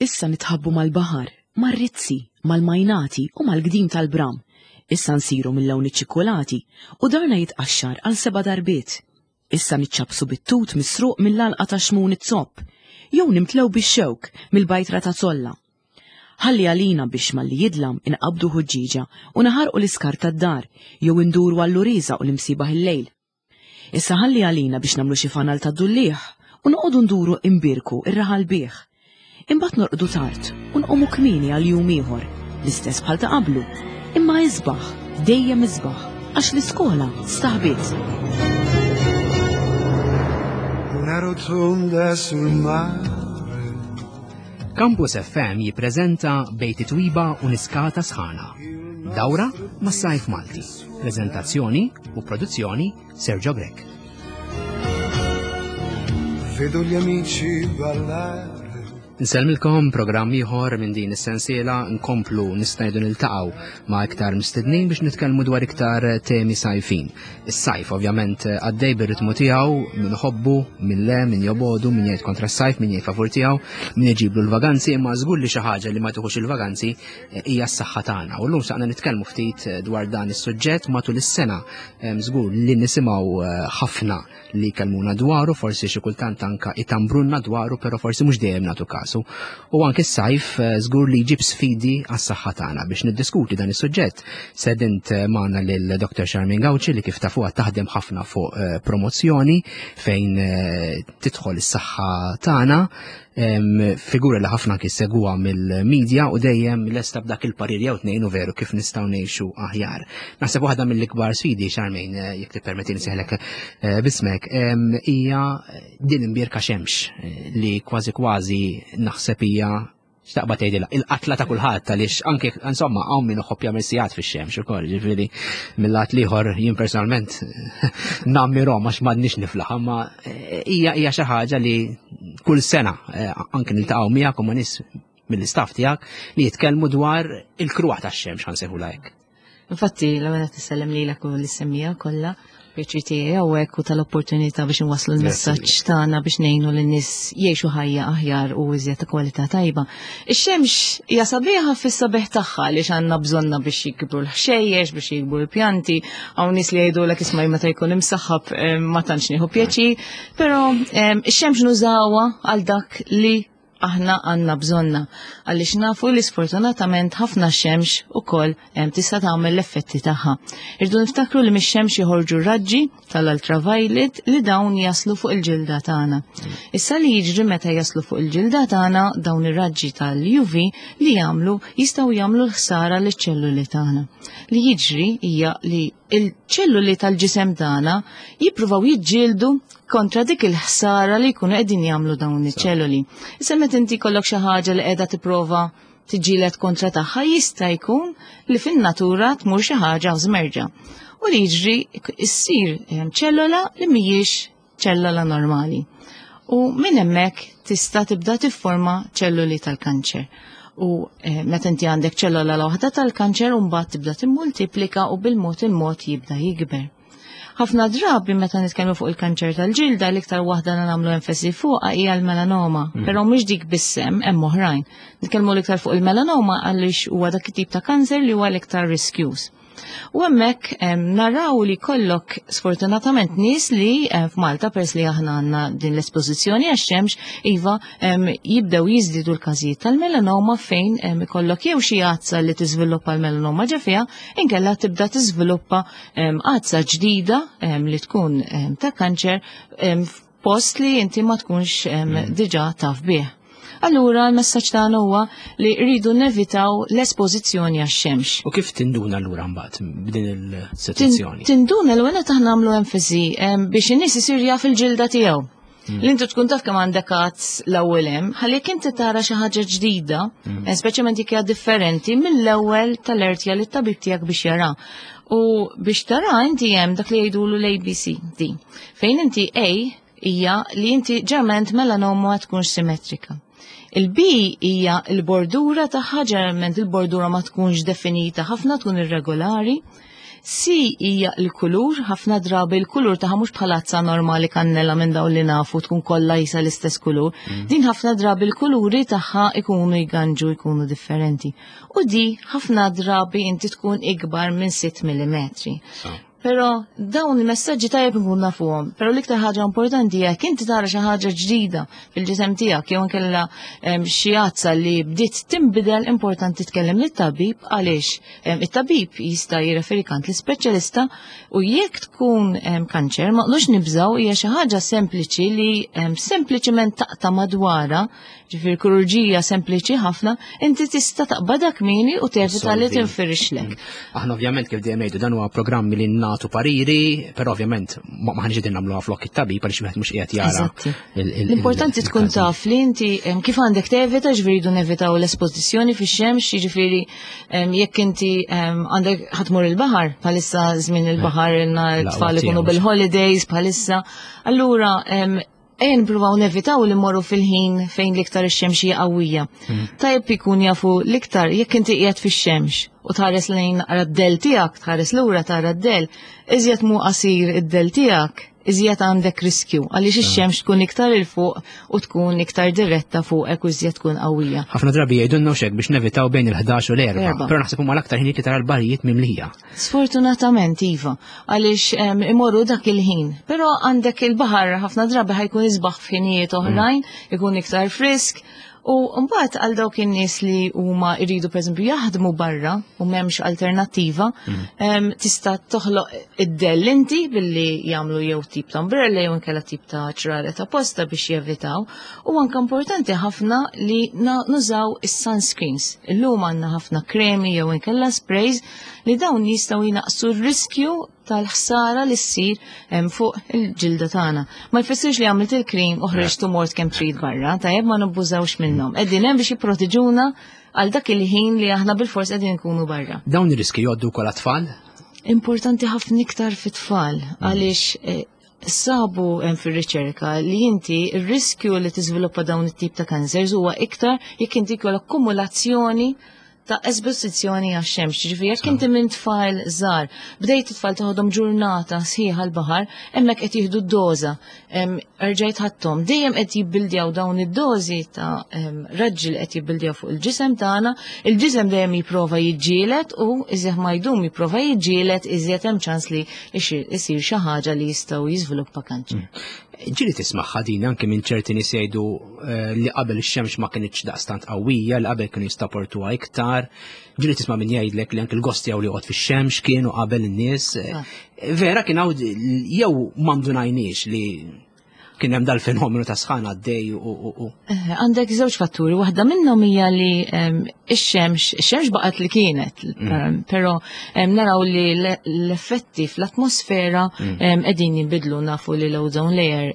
Issa nitħabbu mal-baħar, mar-rizzi, mal-majnati u mal-gdim tal-bram. Issa nsiru mill-lewn iċ-ċikkulati u darna jitqaxxar għal seba' darbiet. Issa niċċappsu bit-tut misruq mill-għalqa ta' Xmun iz-Zopp, jew nimtlew bix-xewk mill-bajtra ta' Zolla. Ħalli għalina biex malli jidlam inqabbdu ħuġġieġa u naħarqu l-iskart tad-dar jew induru għall-uriża u l-imsiebaħ il-lejl. Issa ħalli għalina biex nagħmlu xi fanal tad-dulliegħ u noqogħdu nduru imbierku r-raħal bih. Imbagħad norqdu tard u nqumu kmieni għal jum ieħor, l-istess bħal ta' qablu, imma isbaħ, dejjem isbaħ, għax l-iskola staħbiet. Una rotonda sul mare. Campus FM jippreżenta Bejt Twiba u Niskata Sħana. Dawra mas-sajf Malti. Prezentazzjoni u produzzjoni Sergio Grech. Vedo gli amici ballare. Nsellmilkom programm ieħor minn din is-sensiela nkomplu nistajdu niltaqgħu ma' iktar mistednin biex nitkellmu dwar iktar temi sajfin. Is-sajf ovvjament għaddej bir-ritmu tiegħu min ħobbu, min le, min jobodu, min jgħid kontra s-sajf, min jgħid favur tiegħu, min iġiblu l-vaganzi, imma żgur li xi ħaġa li ma tieħux il-vaganzi hija s-saħħa tagħna. U llum saqna nitkellmu ftit eh, dwar dan is-suġġett matul is-sena żgur li nisimgħu eh, ħafna li kelmuna dwaru, forsi xi kultant anka itambrunna dwaru, però forsi mhux dejjem nagħtu kasu. U anke s-sajf eh, żgur li jġib sfidi għas-saħħa tagħna biex niddiskuti dan is-suġġett. Sedint magħna lil Dr. Charmaine Gauci li kif tafuha taħdem ħafna fuq promozzjoni fejn tidħol is-saħħa tagħna figura li ħafna anki segwa mill-medja u dejjem lesta b'dak il-parir jew tnejn u veru kif nistgħu ngħixu aħjar. Naħseb waħda mill-ikbar sfidi Charmaine eh, jekk tippermetti nseħlek eh, bismek hija din imbierka xemx eh, li kważi kważi naħseb hija xtaqba tgħidilha il-qatla ta' kulħadd għaliex anke insomma hawn min iħobb jagħmel sigħat fix-xemx ukoll, ġifieri mill-lat l-ieħor jien personalment nammirhom għax m'għandniex niflaħ, imma eh, hija hija xi ħaġa li kull sena eh, anke niltaqgħu miegħek u ma' nies mill-istaff tiegħek li jitkellmu dwar il-kruha tax-xemx ħansejħulha hekk. Infatti, l-ewwel qed tisellem lilek u lis-semmija kollha, pjaċir tiegħi hawnhekk u tal-opportunità biex inwasslu l-messaġġ tagħna biex ngħinu lin-nies jgħixu ħajja aħjar u iżjed ta' kwalità tajba. Ix-xemx hija sabiħa fis-sabiħ tagħha għaliex għandna bżonna biex jikbru l-ħxejjex, biex jikbru l-pjanti, hawn nies li jgħidulek isma' meta jkun imsaħħab eh, ma tantx nieħu pjaċir, però eh, ix-xemx nużawha għal dak li aħna għandna bżonna għaliex nafu li sfortunatament ħafna xemx ukoll tista' tagħmel l-effetti tagħha. Irdu niftakru li mix-xemx joħorġu raġġi tal-ultraviolet li dawn jaslu fuq il-ġilda tagħna. Issa li jiġri meta jaslu fuq il-ġilda tagħna dawn ir-raġġi tal-UV li jagħmlu jistgħu jagħmlu l-ħsara liċ-ċelluli tagħna. Li jiġri hija li il-ċelluli tal-ġisem tagħna jippruvaw jiġġieldu kontra dik il-ħsara li jkunu qegħdin jagħmlu dawn iċ-ċelluli. Issa meta inti jkollok xi ħaġa li qiegħda tipprova tiġġieled kontra tagħha jista' jkun li fin-natura tmur xi ħaġa żmerġa. U li jiġri issir ehm, ċellola li mhijiex ċellola normali. U minn hemmhekk tista' tibda tifforma ċelluli tal-kanċer. U eh, meta inti għandek ċellola waħda tal-kanċer u mbagħad tibda timmultiplika u bil-mod il-mod jibda jikber. Ħafna drabi meta nitkellmu fuq il-kanċer tal-ġilda l-iktar waħda li nagħmlu enfasi fuqha hija l-melanoma, mm. però mhux dik bissem hemm oħrajn. Nitkellmu l-iktar fuq il-melanoma għaliex huwa dak it-tip ta' kanser li huwa l-iktar riskjuż. U hemmhekk naraw li kollok sfortunatament nies li f'Malta pers li aħna għandna din l-espożizzjoni għax-xemx iva jibdew jiżdiedu l-każijiet tal-melanoma fejn ikollok jew xi għazza li tiżviluppa l-melanoma ġa fiha inkella tibda tiżviluppa għazza ġdida li tkun ta' kanċer post li inti ma tkunx mm. diġà taf bih. Allura l-messaġġ tagħna huwa li rridu nevitaw l-espożizzjoni għax-xemx. U kif tinduna allura mbagħad b'din il-sitwazzjoni? Tinduna l għena taħna nagħmlu enfasi biex in-nies isir jaf il-ġilda tiegħu. Mm. Li inti tkun taf kemm għandek għazz l-ewwel hemm, ħalli jekk inti tara xi ħaġa ġdida, mm. eh, speċjalment jekk hija differenti mill-ewwel tal-ertja li t-tabib tiegħek biex jara. U biex tara inti hemm dak li jgħidulu l-ABCD. Fejn inti A hija li inti ġerment melanoma ma tkunx simmetrika. Il-B hija l-bordura tagħha ġerment il-bordura ma tkunx definita ħafna tkun irregolari. C hija l-kulur, ħafna drabi l-kulur tagħha mhux bħal azza normali kannella minn dawn li nafu tkun kollha jisa l-istess kulur. Din ħafna drabi l-kuluri tagħha ikunu jganġu jkunu differenti. U di ħafna drabi inti tkun ikbar minn 6 mm. Però dawn il-messaġġi tajjeb nkun nafuhom, però l-iktar ħaġa importanti jekk inti tara xi ħaġa ġdida fil-ġisem tiegħek jew inkella xi għazza li bdiet tinbidel importanti tkellem lit-tabib għaliex it-tabib jista' jirreferi kant l-ispeċjalista u jekk tkun kanċer ma qlux nibżgħu hija xi ħaġa sempliċi li sempliċement taqta' madwarha Ġifieri kirurġija sempliċi ħafna, inti tista' taqbadha kmieni u tevita li tinfirixlek. Aħna ovvjament kif dejjem ngħidu dan huwa programmi li nagħtu pariri, però ovvjament ma ħanġ qegħdin nagħmluha flok it-tabib għaliex wieħed mhux qiegħed jara. L-importanti tkun taf li inti kif għandek tevita, ġifieri jridu nevitaw l-espożizzjoni fix-xemx, jiġifieri jekk inti għandek ħatmur il-baħar, bħalissa żmien il-baħar ilna t-tfal ikunu bil-holidays bħalissa, allura Ejja nippruvaw nevitaw li mmorru fil-ħin fejn l-iktar ix-xemx hija qawwija. Tajjeb ikun jafu l-iktar jekk inti qiegħed fix-xemx u tħares lejn naqra d-dell tiegħek, tħares lura tara d-dell, iżjed mhu qasir id-dell tiegħek, iżjed għandek riskju għaliex ix-xemx tkun iktar 'il fuq u tkun iktar diretta fuqek u iżjed tkun qawwija. Ħafna drabi jgħidulna hekk biex nevitaw bejn il-11 u l-4, però naħseb huma l-aktar ħinijiet li tara l-barijiet mimlija. Sfortunatament, iva, għaliex imorru dak il-ħin. Però għandek il-baħar ħafna drabi ħajkun isbaħ f'ħinijiet oħrajn, ikun iktar frisk. U mbagħad għal dawk in-nies li huma jridu pereżempju jaħdmu barra u m'hemmx alternattiva, tista' toħloq id-dell inti billi jagħmlu jew tip ta' umbrella jew inkella tip ta' ċraret apposta biex jevitaw. U anke importanti ħafna li nużaw is-sunscreens. Illum għandna ħafna kremi jew inkella sprays li dawn jistgħu jnaqqsu r-riskju tal-ħsara li ssir fuq il-ġilda tagħna. Ma jfissirx li għamilt il-krim u ħriġt u mort kemm trid barra, tajjeb ma nabbużawx minnhom. Qegħdin hemm biex jipproteġuna għal dak il-ħin li aħna bil-fors qegħdin nkunu barra. Dawn ir-riski jgħoddu wkoll għat-tfal? Importanti ħafna iktar fit-tfal għaliex sabu hemm fir-riċerka li inti r-riskju li tiżviluppa dawn it-tip ta' cancers huwa iktar jekk inti jkollok akkumulazzjoni ta' esposizzjoni għax-xemx. Ġifieri jekk inti minn tfal żgħar bdejt it-tfal toħodhom ġurnata sħiħa l-baħar, hemmhekk qed jieħdu d-doża. Erġajt ħadthom, dejjem qed jibbildjaw dawn id-dożi ta' raġġi li qed jibbildjaw fuq il-ġisem tagħna, il-ġisem dejjem jipprova jiġġieled u iżjed ma jdum jipprova jiġġieled iżjed hemm ċans li isir xi ħaġa li jistgħu jiżviluppa kanċer. Ġieli tismagħha din anke minn ċerti nies jgħidu li qabel ix-xemx ma kinitx daqstant qawwija, li qabel kienu jistaportuha iktar. Ġieli tisma' min jgħidlek li anke l-gost tiegħu li joqgħod fix-xemx kienu qabel in-nies. Vera kien hawn jew ma ndunajniex li kien hemm dal-fenomenu ta' sħana għaddej u. Għandek żewġ fatturi, waħda minnhom hija li ix-xemx, ix-xemx baqgħet li kienet, però naraw li l-effetti fl-atmosfera qegħdin jinbidlu, nafu li l-ozone layer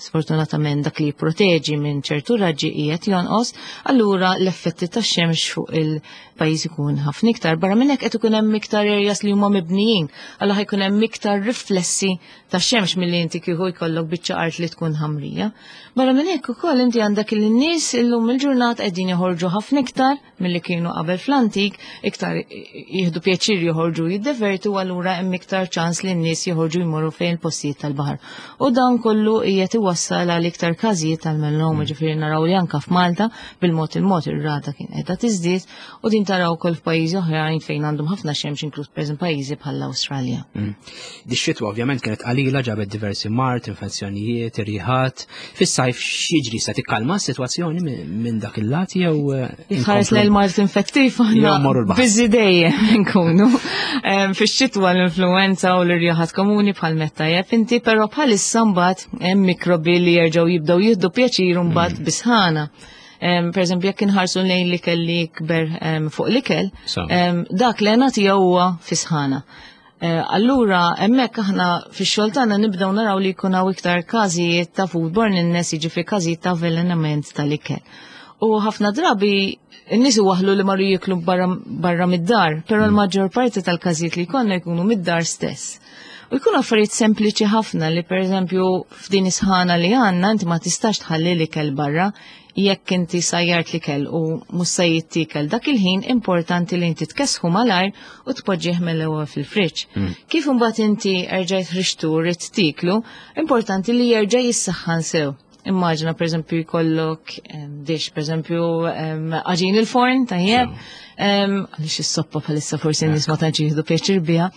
sfortunatament dak li jipproteġi minn ċertu raġġi qiegħed jonqos, allura l-effetti tax-xemx fuq il-pajjiż ikun ħafna iktar. Barra minn hekk qed ikun hemm iktar areas li huma mibnijin, allura ħajkun hemm iktar riflessi tax-xemx milli inti kieku jkollok biċċa art li tkun ħamrija. Barra minn hekk ukoll inti għandek li n-nies illum il-ġurnata qegħdin joħorġu ħafna iktar milli kienu qabel fl-antik, iktar jieħdu pjaċir joħorġu jiddevertu, allura hemm iktar ċans li n-nies joħorġu jmorru fejn il-postijiet tal-baħar. U dan kollu qiegħed iwassal għal iktar każijiet tal-melanoma, ġifieri naraw li anke f'Malta bil-mod il-mod ir-rata kien qiegħda tiżdied u din taraw ukoll f'pajjiżi oħrajn fejn għandhom ħafna xemx, inkluż pereżempju pajjiżi bħall-Awstralja. Dix-xitwa ovvjament kienet qalila, ġabet diversi mard, infezzjonijiet, irjiħat. Fis-sajf x'jiġri, se tikkalma s-sitwazzjoni minn dak il-lat jew Jitħares lejn mard infettiv aħna Jew morru l-baħar. Busy dejjem nkunu. Fix-xitwa l-influenza u l-irjiħat komuni bħal meta tajjeb inti, però bħalissa mbagħad hemm mikrobi li jerġgħu jibdew jieħdu pjaċir mbagħad bisħana. Per eżempju, jekk inħarsu lejn l-ikel li jikber fuq l-ikel, dak l-għena tiegħu huwa fisħana. Allura, hemmhekk aħna fix-xogħol tagħna nibdew naraw li jkun hawn iktar każijiet ta' foodborne illness, jiġifieri każijiet ta' avvelenament tal-ikel. U ħafna drabi n-nies iwaħħlu li marru jieklu barra mid-dar, però l-maġġor parti tal-każijiet li jkollna jkunu mid-dar stess. U jkunu affarijiet sempliċi ħafna li pereżempju f'din is-sħana li għandna inti ma tistax tħalli l-ikel barra jekk inti sajjart l-ikel u mhux se jittikel dak il-ħin importanti li inti tkessħu malajr u tpoġġih mill-ewwel fil-friġġ. Kif imbagħad inti erġajt ħriġtu rrid tiklu, importanti li jerġa' jissaħħan sew. Immaġina pereżempju jkollok dish, pereżempju għaġin il-forn tajjeb, għaliex is-soppa bħalissa forsi n-nies ma tantx jieħdu pjaċir biha.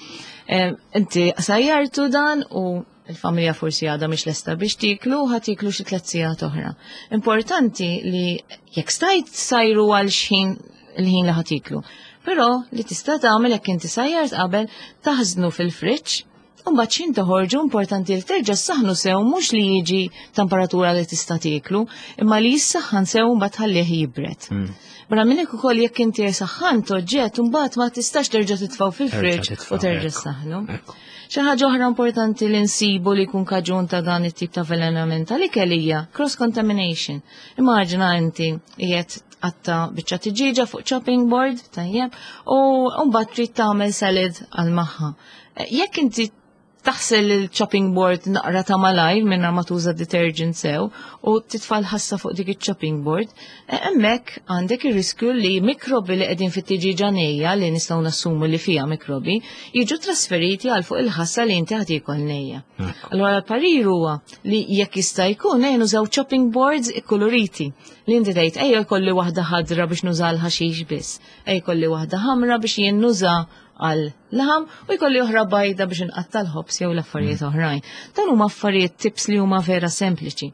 Inti sajjartu dan u il-familja forsi għadha mhix lesta biex tiklu, ħa tiklu xi tliet sigħat oħra. Importanti li jekk stajt sajru għal xħin il-ħin li ħa tiklu. Però li tista' tagħmel jekk inti sajjart qabel taħżnu fil-friġġ. U mbagħad x'ħin toħorġu importanti li terġa' ssaħħnu sew mhux li jiġi temperatura li tista' tieklu, imma li jissaħħan sew mbagħad tħallih jibred. Barra minn hekk ukoll jekk inti saħħant oġġett mbagħad ma tistax terġa' titfgħu fil-friġġ u terġa' ssaħħnu. Xi ħaġa oħra importanti li nsibu li jkun kaġun ta' dan it-tip ta' avvelenament tal-ikel hija cross contamination. Immaġina inti qiegħed tqatta' biċċa tiġieġa fuq chopping board, tajjeb, u mbagħad trid tagħmel salad għal magħha. Jekk inti taħsel il-chopping board naqra ta' malajr minna ma tuża detergent sew u titfa' l-ħassa fuq dik il-chopping board, hemmhekk għandek ir-riskju li mikrobi li qegħdin fit-tiġieġa nejja li nistgħu nassumu li fiha mikrobi jiġu trasferiti għal fuq il-ħassa li inti ħad tiekol nejja. Allura l-parir huwa li jekk jista' jkun ejja nużaw chopping boards ikkuluriti li inti tgħid ejja jkolli waħda ħadra biex nuża l-ħaxix biss, ejja jkolli waħda ħamra biex jien nuża għal laħam u jkolli oħra bajda biex inqatta' l-ħobż jew l-affarijiet oħrajn. Dan huma affarijiet tips li huma vera sempliċi.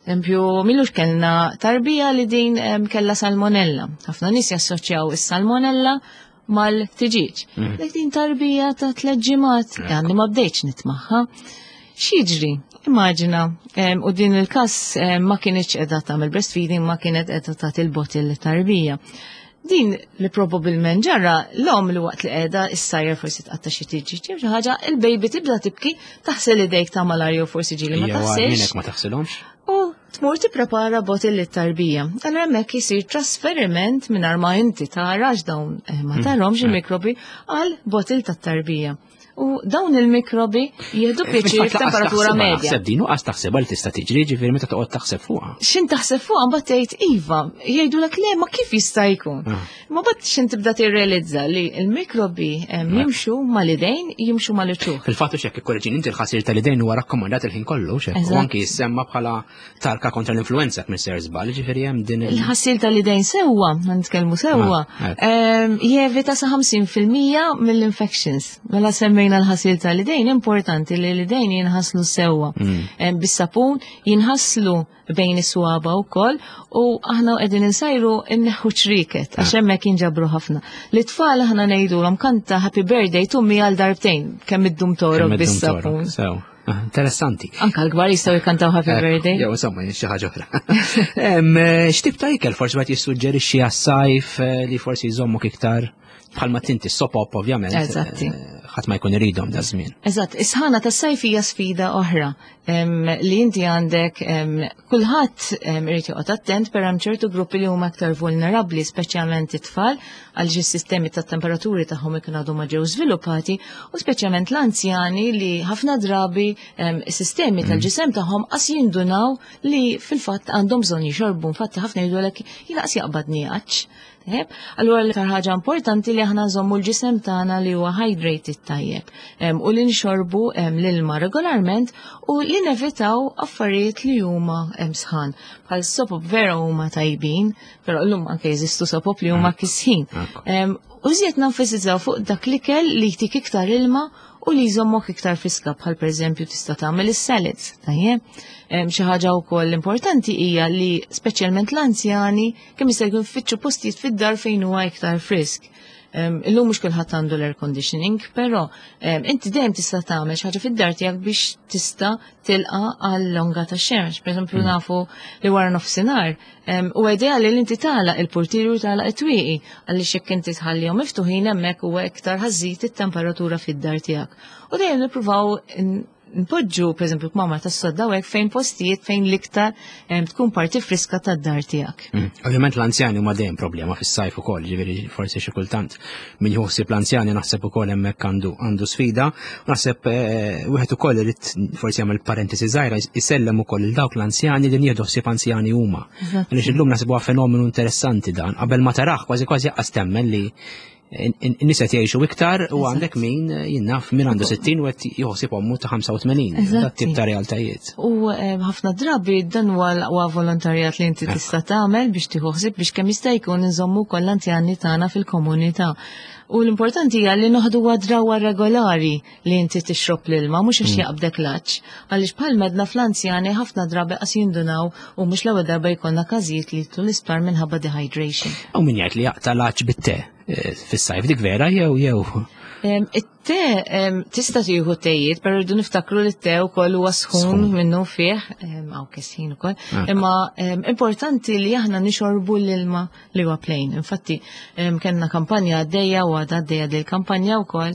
Esempio, milux kellna tarbija li din kellha salmonella. Ħafna nies jassoċjaw is-salmonella mal-tiġiġ. Dik din tarbija ta' 3 ġimgħat, għandi ma bdejtx nitmaħħa. X'jiġri? Immaġina, u din il-każ ma kienx qiegħda tagħmel breastfeeding, ma kienet qiegħda tagħti l-bottle lit-tarbija. Din li probabbilment ġara l-om li waqt li qiegħda issajjar forsi tqatta' xi tiġi xi ħaġa, il-baby tibda tibki, taħsel idejk ta' malarju forsi ġieli ma Jew taħsilx. minnek ma taħsilhomx. U tmur tipprepara bottle lit-tarbija. Allura hemmhekk isir trasferiment mingħajr ma inti tarax dawn ma tarahomx il-mikrobi għal bottle tat-tarbija. U dawn il-mikrobi jieħdu pjaċir Fil-fatt, lanqas f'temperatura taħsibha, medja. Naħseb din u qas taħsibha li tista' tiġri, ġifieri meta toqgħod taħseb fuqha. X'in taħseb fuqha mbagħad tgħid iva, jgħidulek le ma kif jista' jkun. Ma mbagħad x'in tibda tirrealizza li l-mikrobi jimxu mal-idejn, jimxu mal-uċuħ. Fil-fatt hekk ikkorreġini inti l-ħasir tal-idejn huwa rakkomandat il-ħin kollu, x'hekk, u anki jissemma bħala tarka kontra l-influenza minn ser żball, ġifieri hemm din il- Il-ħasil tal-idejn sewwa, nitkellmu sewwa, jevita sa ħamsin fil-mija mill-infections. Mela semmejna l-ħasil tal-idejn, importanti li l-idejn jinħaslu sewwa. Bis-sapun jinħaslu bejn is-swaba wkoll u aħna qegħdin insajru nneħħu ċriket għax hemmhekk jinġabru ħafna. L-itfal aħna ngħidulhom kanta happy birthday tummi għal darbtejn kemm iddum torok Kemm iddum bis-sapun. torok, sew. Interessanti. Anka l-kbar jistgħu jkantaw happy birthday. Jew insomma, xi ħaġa oħra. X'tip ta' ikel forsi qed jissuġġerixxi għas-sajf li forsi jżommok iktar bħalma tinti sopop ovvjament. Ħadd ma jkun iridhom da żmien. Eżatt, is-sħana tas-sajf hija sfida oħra li inti għandek kulħadd irid joqgħod attent per hemm ċertu gruppi li huma aktar vulnerabbli, speċjalment it-tfal, għaliex is-sistemi tat-temperaturi tagħhom ikun għadhom ma ġew żviluppati, u speċjalment l-anzjani li ħafna drabi is-sistemi tal-ġisem tagħhom qas jindunaw li fil-fatt għandhom bżonn jixorbu. Infatti ħafna jgħidulek jiena qas jaqbadni għatx. Tajjeb? Allura l-iktar ħaġa importanti li aħna nżommu l-ġisem tagħna li huwa hydrated tajjeb, u li nxorbu l-ilma regolarment u li nevitaw affarijiet li huma sħan. Bħal sopop vera huma tajbin, però llum anke jeżistu sopop li huma kisħin. U żjed nenfasizzaw fuq dak l-ikel li jtik iktar ilma u li jżommok iktar friska, bħal pereżempju tista' tagħmel is-salads, tajjeb? Xi ħaġa wkoll importanti hija li speċjalment l-anzjani kemm jista' jkun fittxu postijiet fid-dar fejn huwa iktar frisk. Illum mhux kulħadd għandu l-air conditioning, però inti dejjem tista' tagħmel xi ħaġa fid-dar tiegħek biex tista' tilqa' għal longa ta' xemx. Pereżempju nafu li wara nofsinhar, u ideali li inti tagħlaq il-portieri u tagħlaq it-twieqi, għaliex jekk inti tħallihom miftuħin hemmhekk huwa iktar ħażid it-temperatura fid-dar tiegħek. U dejjem nippruvaw Npoġġu, pereżempju, kmamar tas-sodda u hekk fejn postijiet fejn l-iktar tkun parti friska tad-dar tiegħek. Ovvjament l-anzjani huma dejjem problema fis-sajf ukoll, ġifieri forsi xi kultant min jħossib l-anzjani naħseb ukoll hemmhekk għandu għandu sfida. Naħseb wieħed ukoll irid forsi jagħmel parentesi żgħira jsellem ukoll il dawk l-anzjani li nieħdu ħsieb anzjani huma. Għaliex illum naħseb huwa fenomenu interessanti dan. Qabel ma taraħ kważi kważi jaqqas temmen li n-nies qed jgħixu iktar u għandek min jinnaf min għandu 60 u qed joħsib ommu ta' 85. Dat tip ta' realtajiet. U ħafna drabi dan huwa l-aqwa volontarjat li inti tista' tagħmel biex tieħu ħsieb biex kemm jista' jkun inżommu wkoll l-anzjani tagħna fil-komunità. U l-importanti hija li noħdu drawa regolari li inti tixrob l-ilma, mhux għax jaqbdek l-għatx. Għaliex bħal medna fl-anzjani ħafna drabi qas jindunaw u mhux l-ewwel darba jkollna każijiet li jidħlu l-isptar minħabba dehydration. U min jgħid li jaqta' l-għatx bit-te fis-sajf dik vera jew jew. It-te tista' tieħu tejiet, però rridu niftakru li t-te wkoll huwa sħun minnu fih, hawn kesħin ukoll. Imma importanti li aħna nixorbu l-ilma li huwa plain. Infatti, kellna kampanja għaddejja u għadha għaddejja dil kampanja wkoll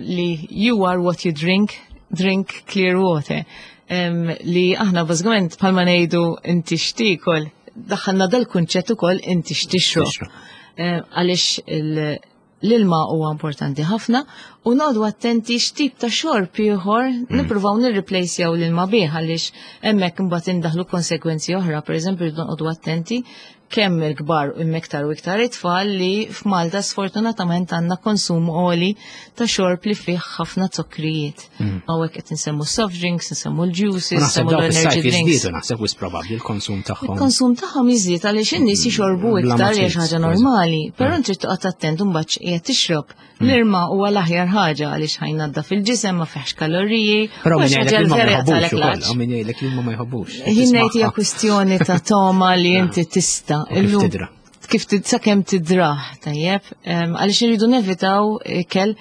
li you are what you drink, drink clear water. Li aħna bażikament bħalma ngħidu inti x'tiekol, daħħalna dal-kunċett ukoll inti x'tixrob. Għaliex l-ilma huwa importanti ħafna u noqogħdu attenti x'tip ta' xorb ieħor nippruvaw nirreplacejaw l-ilma bih għaliex hemmhekk imbagħad indaħlu konsekwenzi oħra, pereżempju rridu noqogħdu attenti kemm il-kbar u iktar u iktar it-tfal li f'Malta sfortunatament għandna konsum għoli ta' xorb li fih ħafna zokkrijiet. Hawnhekk qed insemmu soft drinks, insemmu l-juices, insemmu l-energy drinks. Naħseb wis probabbli l-konsum tagħhom. Il-konsum tagħhom jiżdied għaliex in-nies jixorbu iktar hija xi ħaġa normali, però trid toqgħod attent imbagħad x'qiegħed tixrob. L-irma huwa l-aħjar ħaġa għaliex ħajnadda fil-ġisem ma fihx kaloriji. Però min jgħidlek li ma jħobbux ukoll, min jgħidlek li ma jħobbux. Jien ngħid hija kwistjoni ta' toma li inti tista' illum. Kif sakemm tidrah, tajjeb, għaliex irridu nevitaw ikel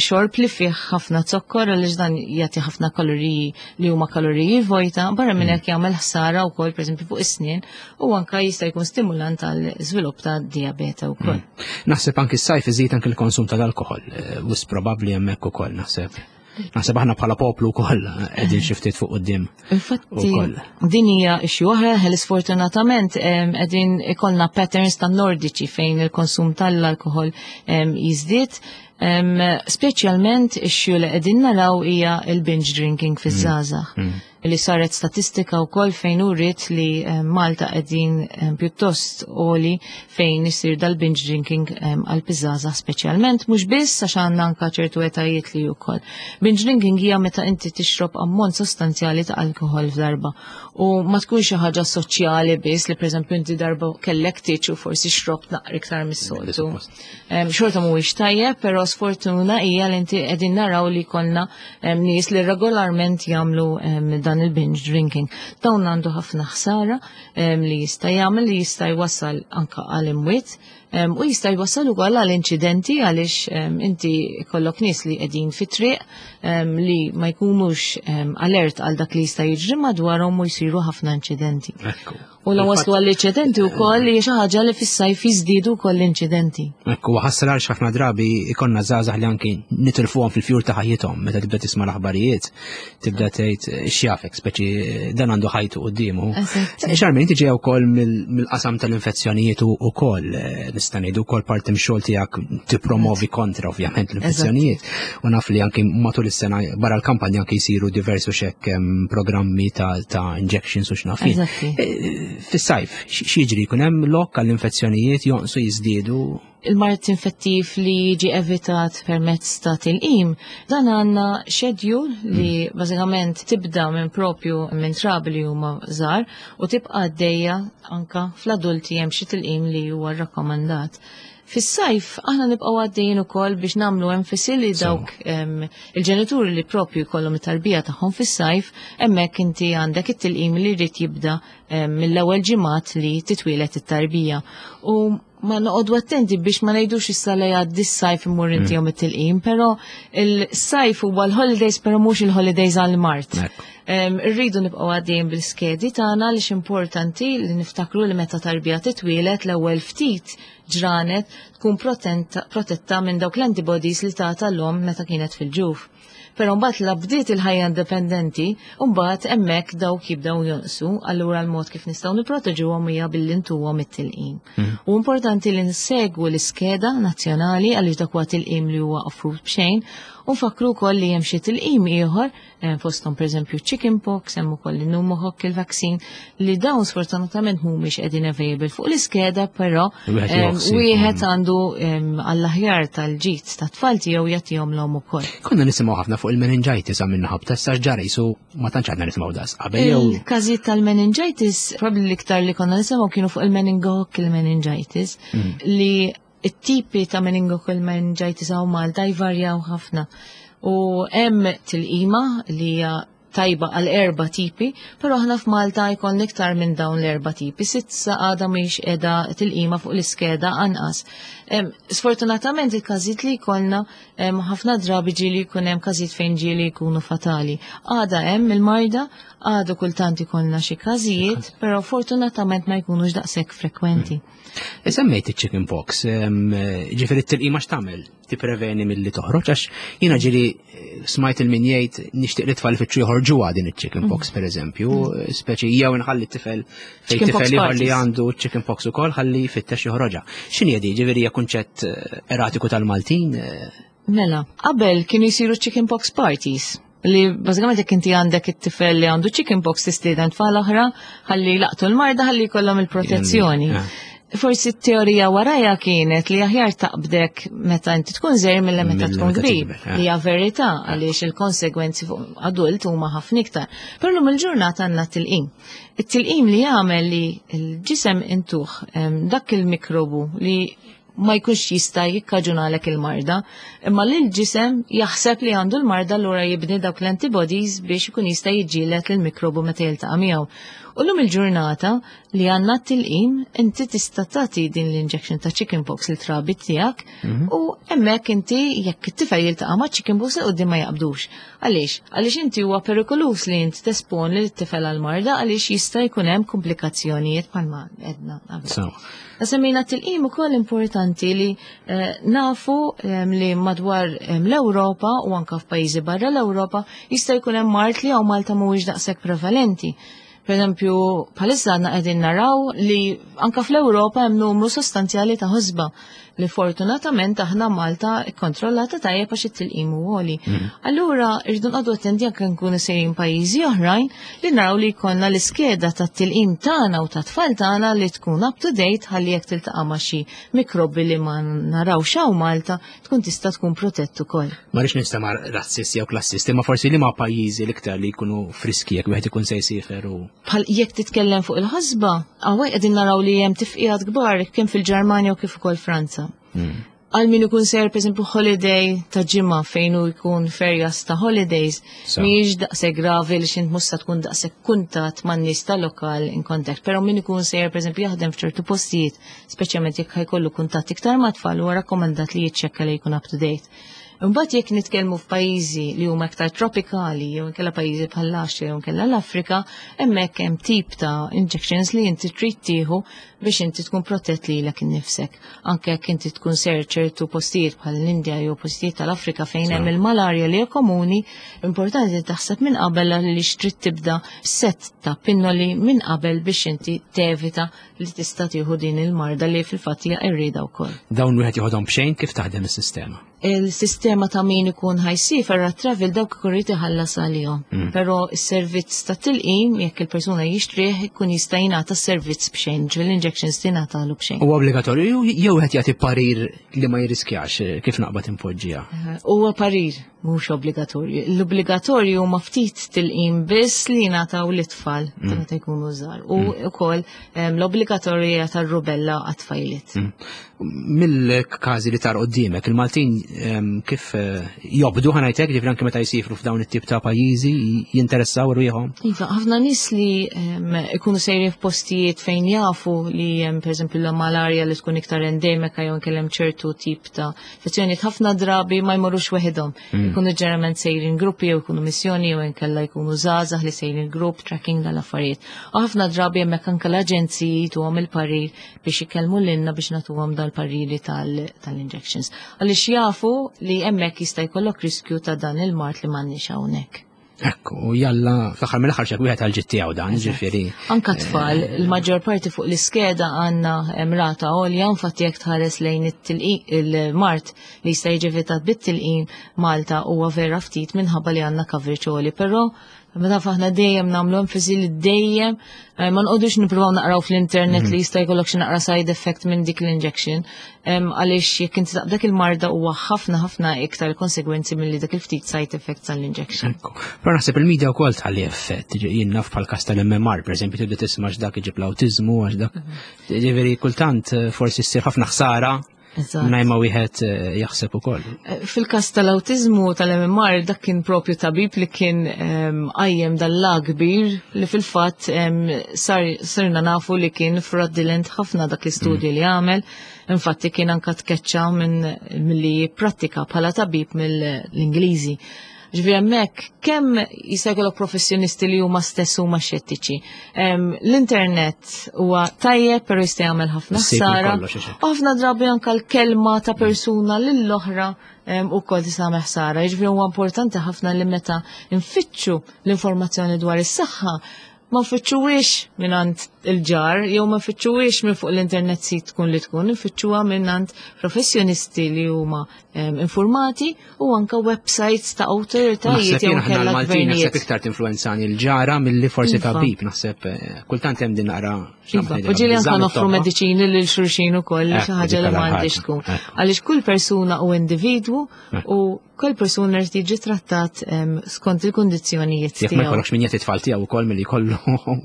xorb li fih ħafna zokkor għaliex dan jagħti ħafna kaloriji li huma kaloriji vojta, barra minn hekk jagħmel ħsara wkoll pereżempju fuq is-snien u anka jista' jkun stimulant għal żvilupp ta' diabete wkoll. Naħseb anki s-sajf iżid anki l-konsum tal-alkoħol, wis probabbli hemmhekk ukoll naħseb. Naħseb aħna bħala poplu wkoll qegħdin xi ftit fuq quddiem. Infatti, din hija issue oħra li sfortunatament qegħdin ikollna patterns tan nordiċi fejn il-konsum tal-alkoħol jiżdied. Speċjalment issue li qegħdin naraw hija il-binge drinking fiż-żgħażagħ. Li saret statistika wkoll fejn uriet li Malta qegħdin pjuttost għoli fejn isir dal-binge drinking għal piżaża speċjalment, mhux biss għax għandna anka ċertu etajiet li wkoll. Binge drinking hija meta inti tixrob ammont sostanzjali ta' alkohol f'darba u ma tkunx xi ħaġa soċjali biss li pereżempju inti darba kellek tiċ u forsi xrobt naqra iktar mis-soltu. Xorta mhuwiex tajjeb, però sfortuna hija li inti qegħdin naraw li jkollna nies li regolarment jagħmlu dan il-binge drinking. Dawn għandu ħafna ħsara li jista' jagħmel, li jista' jwassal anka għal imwiet, u jista' jwassal ukoll għal inċidenti għaliex inti jkollok nies li qegħdin fit-triq li ma jkunux alert għal dak li jista' jiġri madwarhom u jsiru ħafna inċidenti. U la waslu għall-inċidenti wkoll li xi ħaġa li fis-sajf jiżdiedu wkoll l-inċidenti. Ekku, ħasra għal ħafna drabi ikonna żgħażagħ li anki nitilfuhom fil-fjur ta' ħajjithom meta tibda tisma' l-aħbarijiet, tibda tgħid x'jafek, speċi dan għandu ħajtu quddiemu. Charmaine, inti ġejja wkoll mill-qasam tal-infezzjonijiet ukoll, nista' ngħidu wkoll parti mix-xogħol tiegħek tippromovi kontra ovvjament l-infezzjonijiet. U naf li anki matul is-sena barra l-kampanja anki jsiru diversu xekk programmi ta' injections u x'naf jien. Fis-sajf, x'jiġri? Jkun hemm lok għall-infezzjonijiet jonqsu jiżdiedu? Il-mard infettiv li jiġi evitat permezz ta' tilqim, dan għandna schedule li bażikament tibda minn propju minn trabi li huma żgħar u tibqa' għaddejja anka fl-adulti hemm xi tilqim li huwa rrakkomandat. Fis-sajf aħna nibqgħu għaddejjin ukoll biex nagħmlu enfasi li dawk il-ġenituri li propju jkollhom it-tarbija tagħhom fis-sajf, hemmhekk inti għandek it-tilqim li jrid jibda mill-ewwel ġimgħat li titwielet it-tarbija. U ma noqogħdu attenti biex ma ngħidux issa li jgħaddi s-sajf immur intihom it-tilqim, però il-sajf huwa l-holidays però mhux il-holidays għall-mard. Irridu nibqgħu għaddejjin bil-skedi tagħna għaliex importanti li niftakru li meta tarbija titwielet l-ewwel ftit ġranet tkun protetta minn dawk l-antibodies li tata l-omm meta kienet fil-ġuf. Però mbagħad la bdiet il-ħajja indipendenti, mbagħad hemmhekk dawk jibdew jonqsu, allura l-mod kif nistgħu nipproteġuhom hija billi ntuhom it-tilqim. U importanti li nsegwu l-iskeda nazzjonali għaliex dak huwa tilqim li huwa offrut b'xejn, u nfakru wkoll li hemm xi tilqim ieħor, fosthom pereżempju chicken pox, hemm ukoll il-pneumococcal vaccine, li dawn sfortunatament mhumiex qegħdin available fuq l-iskeda, però Wieħed jieħu ħsieb. wieħed għandu għall-aħjar tal-ġid tat-tfal tiegħu jagħtihom l-omm ukoll. Konna nisimgħu ħafna fuq il-meningitis għam minna ħabta, issa ġara jisu ma tantx għadna nisimgħu das qabel jew Il-każijiet tal-meningitis, probabbli l-iktar li konna nisimgħu kienu fuq il-meningococcal meningitis, li it-tipi ta' meningococcal meningitis hawn Malta jvarjaw ħafna. U hemm tilqima li hija tajba għal 4 tipi, però aħna f'Malta jkollna iktar minn dawn l-4 tipi. S'issa għadha mhix qiegħda tilqima fuq l-iskeda anqas. Sfortunatament il-każijiet li jkollna, ħafna drabi ġieli jkun hemm każijiet fejn ġieli jkunu fatali. Għadha hemm il-marda, għadu kultant ikollna xi każijiet, però fortunatament ma jkunux daqshekk frekwenti. Semmejt il-chicken pox, ġifieri t-tilqima x'tagħmel? Tippreveni milli toħroġ, għax jiena ġieli smajt il-min jgħid nixtieq li tfal ifittxu joħorġuha din il-chicken pox, per eżempju, speċi jew inħalli t-tifel fejn Chicken pox tifel ieħor li parties. għandu chicken pox ukoll ħalli jfittex joħroġha. X'inhi di? Ġifieri hija kunċett eratiku tal-Maltin? Mela, qabel kienu jsiru chicken pox parties, li bażikament jekk inti għandek it-tifel li għandu chicken pox tistieden tfal oħra ħalli laqtu l-marda ħalli jkollhom il-protezzjoni. Forsi t-teorija warajja kienet li aħjar taqbdek meta inti tkun żgħir milli meta Milli tkun meta kbir. tikber, eh. Li hija verità għaliex il-konsegwenzi fuq adult huma ħafna iktar. Però llum il-ġurnata għandna tilqim. It-tilqim li jagħmel li l-ġisem intuħ dak il-mikrobu li ma jkunx jista' jikkaġunalek il-marda, imma li l-ġisem jaħseb li għandu l-marda allura jibni dawk l-antibodies biex ikun jista' jiġġieled lill-mikrobu meta jiltaqa' miegħu. U llum il-ġurnata li għandna t-tilqim, inti tista' tagħti din l-injection ta' chickenpox li trabi tiegħek u hemmhekk inti jekk it-tifel jiltaqa' ma' chickenpox li quddiem ma jaqbdux. Għaliex? Għaliex inti huwa perikolus li inti tesponi lit-tifel għall-marda għaliex jista' jkun hemm komplikazzjonijiet bħalma għedna qabel. Semmejna t-tilqim ukoll importanti li nafu li madwar l-Ewropa u anka f'pajjiżi barra l-Ewropa jista' jkun hemm mard li hawn Malta mhuwiex daqshekk prevalenti. Per eżempju, bħalissa għandna qegħdin naraw li anka fl-Ewropa hemm numru sostanzjali ta' ħosba li fortunatament aħna Malta ikkontrollata tajjeb għax it-tilqim hu għoli. Allura rridu nqogħdu attenti anke nkunu sejrin pajjiżi oħrajn li naraw li jkollna l-iskeda tat-tilqim tagħna u tat-tfal tagħna li tkun up to date ħalli jekk tiltaqa' ma' xi mikrobi li ma narawx hawn Malta tkun tista' tkun protett ukoll. Ma rridx nistema' razzisti jew klassisti, ma forsi li ma' pajjiżi l-iktar li jkunu friski jekk wieħed ikun se jsiefer u Bħal jekk titkellem fuq il-ħasba, hawnhekk qegħdin naraw li hemm tifqigħat kbar kemm fil-Ġermanja u kif ukoll Franza. Għal min ikun ser, per esempio, holiday ta' ġimgħa fejn hu jkun ferjas ta' holidays, mhijiex daqshekk gravi li x'int mhux se tkun daqshekk kuntatt man-nies ta' lokal in contact. Però min ikun sejjer, per esempio, jaħdem f'ċertu postijiet, speċjalment jekk ħajkollu kuntatt iktar ma' tfal, huwa rakkomandat li jiċċekkja li jkun up to date. Imbagħad jekk nitkellmu f'pajjiżi li huma iktar tropikali jew inkella pajjiżi bħal l-Asja jew inkella l-Afrika, hemmhekk hemm tip ta' injections li inti trid tieħu biex inti tkun protett lilek innifsek. Anke jekk inti tkun ser ċertu postijiet bħal l-Indja jew postijiet tal-Afrika fejn hemm il-malarja li hija komuni, importanti li taħseb minn qabel li trid tibda set ta' pinnoli minn qabel biex inti tevita li tista' tieħu din il-marda li fil-fatt hija qerrieda wkoll. Dawn wieħed joħodhom b'xejn, kif taħdem is-sistema? Il-sistema ta' min ikun ħajsiefer għat travel dawk ikun irid iħallas għalihom. Però s-servizz ta' tilqim jekk il-persuna jixtrih ikun jista' jingħata s-servizz b'xejn, ġifieri l-injections tingħatalu b'xejn. Huwa obbligatorju jew qed jagħti parir li ma jirriskjax kif naqbad impoġġiha? Huwa parir, mhux obbligatorju. L-obbligatorju huma ftit tilqim biss li jingħataw lit-tfal meta jkunu żgħar. U wkoll l-obbligatorja tar-rubella għat-tfajliet. Mill-każi li tar quddiemek, il-Maltin kif kif eh, jobdu ħa ngħid hekk, ġifieri anke meta jsifru f'dawn it-tip ta' pajjiżi jinteressaw rwieħhom. Iva, ħafna nies li ikunu sejrin f'postijiet fejn jafu li hemm pereżempju l-malarja li tkun iktar endemika jew inkella hemm ċertu tip ta' infezzjonijiet ħafna drabi ma jmorrux weħidhom. Ikunu ġeneralment sejrin gruppi jew ikunu missjoni jew inkella jkunu żgħażagħ li sejrin grupp tracking dal-affarijiet. U ħafna drabi hemmhekk anke l-aġenziji jtuhom il-parir biex ikellmu lilna biex nagħtuhom dal-pariri tal-injections. Għaliex jafu li hemmhekk jista' jkollok riskju ta' dan il-mard li m'għandniex hawnhekk. Ekku, u jalla, fl-aħħar mill-aħħar xek wieħed għal tiegħu dan, ġifieri. Anka tfal, il-maġġor parti fuq l-iskeda għandna rata għolja, infatti jekk tħares lejn il-mart li jista' jiġi evitat bit-tilqim Malta huwa vera ftit minħabba li għandna coverage għoli, però Ma taf aħna dejjem nagħmlu enfasi li dejjem eh, ma nqogħdux nippruvaw naqraw fl-internet li mhm. jista' jkollok xi naqra side effect minn dik l-injection. Għaliex jekk inti dak il-marda huwa ħafna ħafna iktar konsegwenzi milli dak il-ftit side effect tal-injection. Però naħseb il-media wkoll tħalli effett, jien naf bħal każ tal-MMR, pereżempju tibda tisma' x'dak iġib l-awtiżmu għax dak. Mhm. Ġifieri kultant eh, forsi ssir ħafna ħsara Mingħajr ma wieħed eh, jaħseb ukoll. Eh, fil-każ tal-awtiżmu tal-MMR dak kien propju tabib li kien ehm, qajjem dal kbir li fil-fatt ehm, sirna nafu li kien fraudulent ħafna dak l-istudju mm. li għamel. Infatti kien anka tkeċċa minn milli prattika bħala tabib mill-Ingliżi. Ġifieri hemmhekk kemm jista' jkollok professjonisti li huma stess huma xettiċi. L-internet huwa tajjeb però jista' jagħmel ħafna ħsara. Ħafna drabi anke l-kelma ta' persuna lill-oħra ukoll tista' tagħmel ħsara. Jiġifieri huwa importanti ħafna li meta nfittxu l-informazzjoni dwar is-saħħa ma nfittxuhiex mingħand il-ġar jew ma nfittxuhiex minn fuq l-internet sit tkun li tkun, nfittxuha mingħand professjonisti li huma informati u anka websites ta' awtoritajiet jew kellha gvernijiet. Naħseb iktar tinfluwenzani l-ġara milli forsi iva. tabib, naħseb eh, kultant hemm din naqra. Iva, u ġieli anka noffru mediċini lil xulxin ukoll xi ħaġa li m'għandix tkun. Għaliex kull persuna u individwu u Kull persuna li tiġi trattat skont il-kundizzjonijiet tiegħu. Jekk ma jkollokx min jagħti tfal tiegħu wkoll milli jkollu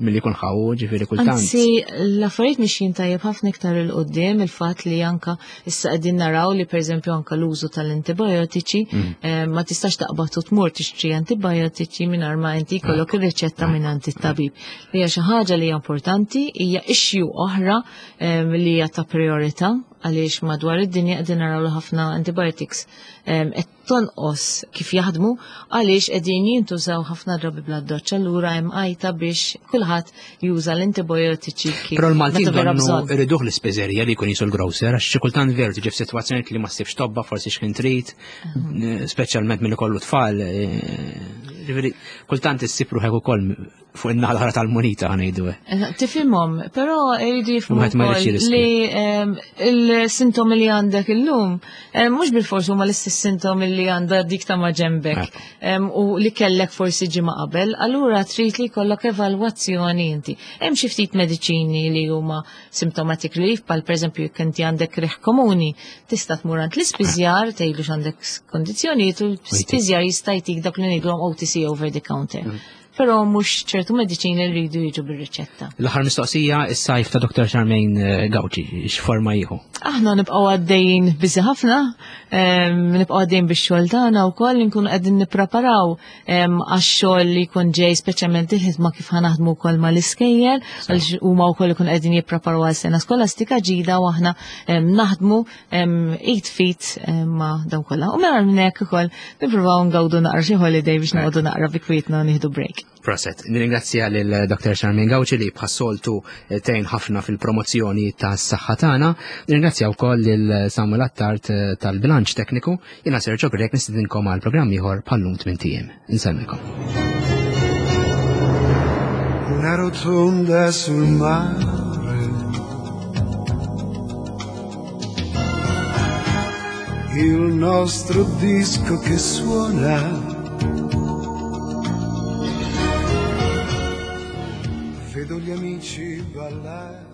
milli jkun ħawu, ġifieri kultant. Anzi, l-affarijiet mixjin tajjeb ħafna iktar il qudiem il-fatt li anka issa qegħdin naraw li pereżempju anka l-użu tal-antibiotiċi mm. ma tistax taqbad u tmur tixtri antibiotiċi mingħajr ma inti jkollok ir-riċetta mingħand it-tabib. Li hija xi ħaġa li hija importanti, hija issue oħra li hija ta' priorità għaliex madwar id-dinja qegħdin naraw li ħafna antibiotics qed tonqos kif jaħdmu għaliex qegħdin jintużaw ħafna drabi bla doċċ allura hemm għajta biex kulħadd juża l-antibiotiċi kif. Però l-Maltin donnu iriduh l-ispiżerija li jkun jisu l-grocer għax xi kultant veru tiġi f'sitwazzjoni li ma ssibx tobba forsi x'kien trid, speċjalment milli kollu tfal. Eh, ġifieri kultant issib ruħek ukoll fuq in-naħa l-oħra tal-munita ħanejdu. Eh, tifhimhom, però jridu jifhmu li ehm, il-sintomi li għandek illum ehm, mhux bil-fors huma l-istess sintomi li għandha dik ta' maġenbek ehm, u li kellek forsi ġimgħa qabel, allura trid li jkollok evalwazzjoni inti. Hemm xi ftit mediċini li huma symptomatic relief, bħal pereżempju jekk inti għandek riħ komuni, tista' tmur għand l-ispiżjar tgħidlu x'għandek kondizzjonijiet u l-ispiżjar jista' jtik dak li ngħidulhom OTC over the counter. Mm. Però mhux ċertu mediċini li rridu jiġu bir-riċetta. L-aħħar mistoqsija, is-sajf ta' Dr. Charmaine eh, Gauci, x'forma jieħu? Aħna nibqgħu għaddejjin biżi ħafna, nibqgħu għaddejjin bix-xogħol tagħna wkoll nkunu qegħdin nippreparaw għax-xogħol li jkun ġej speċjalment il-ħidma kif ħanaħdmu wkoll mal-iskejjel, għaliex huma wkoll ikun qegħdin jippreparaw għal sena skolastika ġida u aħna naħdmu id fit ma' dawn kollha. U mela minn hekk ukoll nippruvaw ngawdu naqra xi holiday biex noqogħdu naqra bi kwietna nieħdu break. Proset, nirringrazzja lil Dr. Charmaine Gauci li bħas-soltu eh, tgħin ħafna fil-promozzjoni tas-saħħa tagħna. Nirringrazzja wkoll lil Samuel Attard eh, tal-bilanċ tekniku. Jiena Sergio Grek nistidinkom għal programm ieħor bħallum tmien ijiem. Insellmilkom. Una rotonda sul mare Il nostro disco che suona Vedo gli amici ballare.